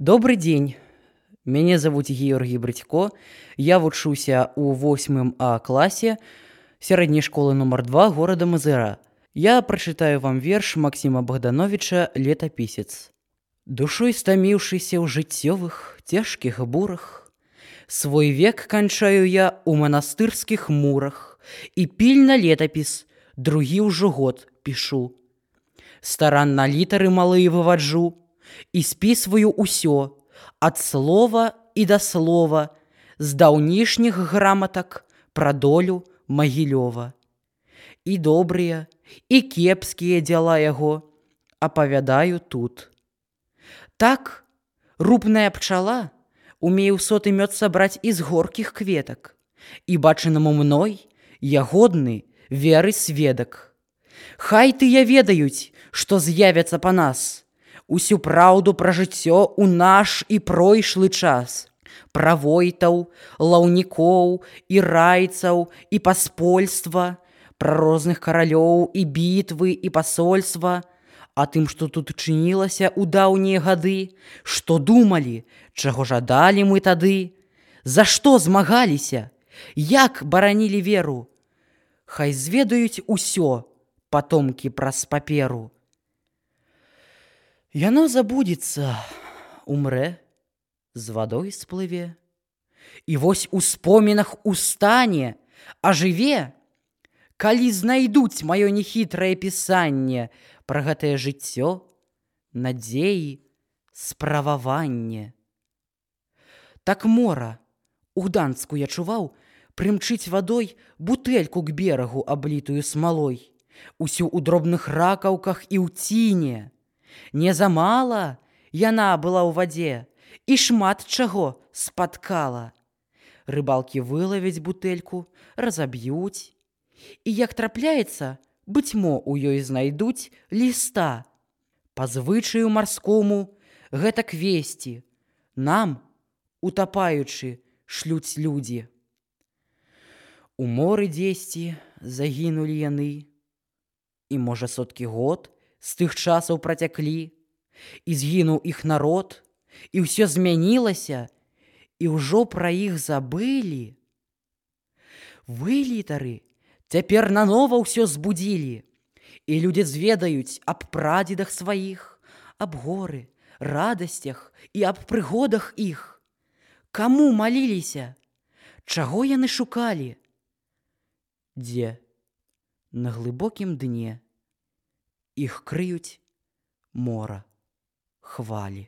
Добрый день. Меня зовут Георгий Брытько. Я вучуся у 8 А класе сярэдняй школы номер 2 города Мазыра. Я прачытаю вам верш Максима Богдановича «Летапісец». Душой стаміўшыся ў жыццёвых цяжкіх бурах, свой век канчаю я у манастырскіх мурах і пільна летапіс другі ўжо год пішу. Старанна літары малыя вываджу і спісваю ўсё ад слова і да слова з даўнішніх граматак пра долю Магілёва. І добрыя, і кепскія дзела яго апавядаю тут. Так рупная пчала умее ў соты мёд сабраць з горкіх кветак, і бачанаму мной я годны веры сведак. Хай тыя ведаюць, што з'явяцца па нас, усю праўду пра жыццё ў наш і пройшлы час, пра войтаў, лаўнікоў і райцаў і паспольства, пра розных каралёў і бітвы і пасольства, а тым, што тут чынілася ў даўнія гады, што думалі, чаго жадалі мы тады, за што змагаліся, як баранілі веру. Хай зведаюць усё патомкі праз паперу. Яно забудзецца, умрэ, з вадой сплыве, і вось у спомінах устане, ажыве, калі знайдуць маё нехітрае пісанне пра гэтае жыццё, надзеі, справаванне. Так мора, у Гданцку я чуваў, прымчыць вадой бутэльку к берагу, аблітую смалой, усю ў дробных ракаўках і ў ціне. Не замала яна была ў вадзе і шмат чаго спаткала. Рыбалкі вылавяць бутэльку, разаб'юць, і як трапляецца, быцьмо ў ёй знайдуць ліста. Па звычаю марскому гэтак весці нам, утапаючы, шлюць людзі. У моры дзесьці загінулі яны, і, можа, соткі год з тых часаў працяклі, і згінуў іх народ, і ўсё змянілася, і ўжо пра іх забылі. Вы, літары, цяпер нанова ўсё збудзілі, і людзі зведаюць аб прадзедах сваіх, аб горы, радасцях і аб прыгодах іх. Каму маліліся? Чаго яны шукалі? Дзе? На глыбокім дне іх крыюць мора хвалі.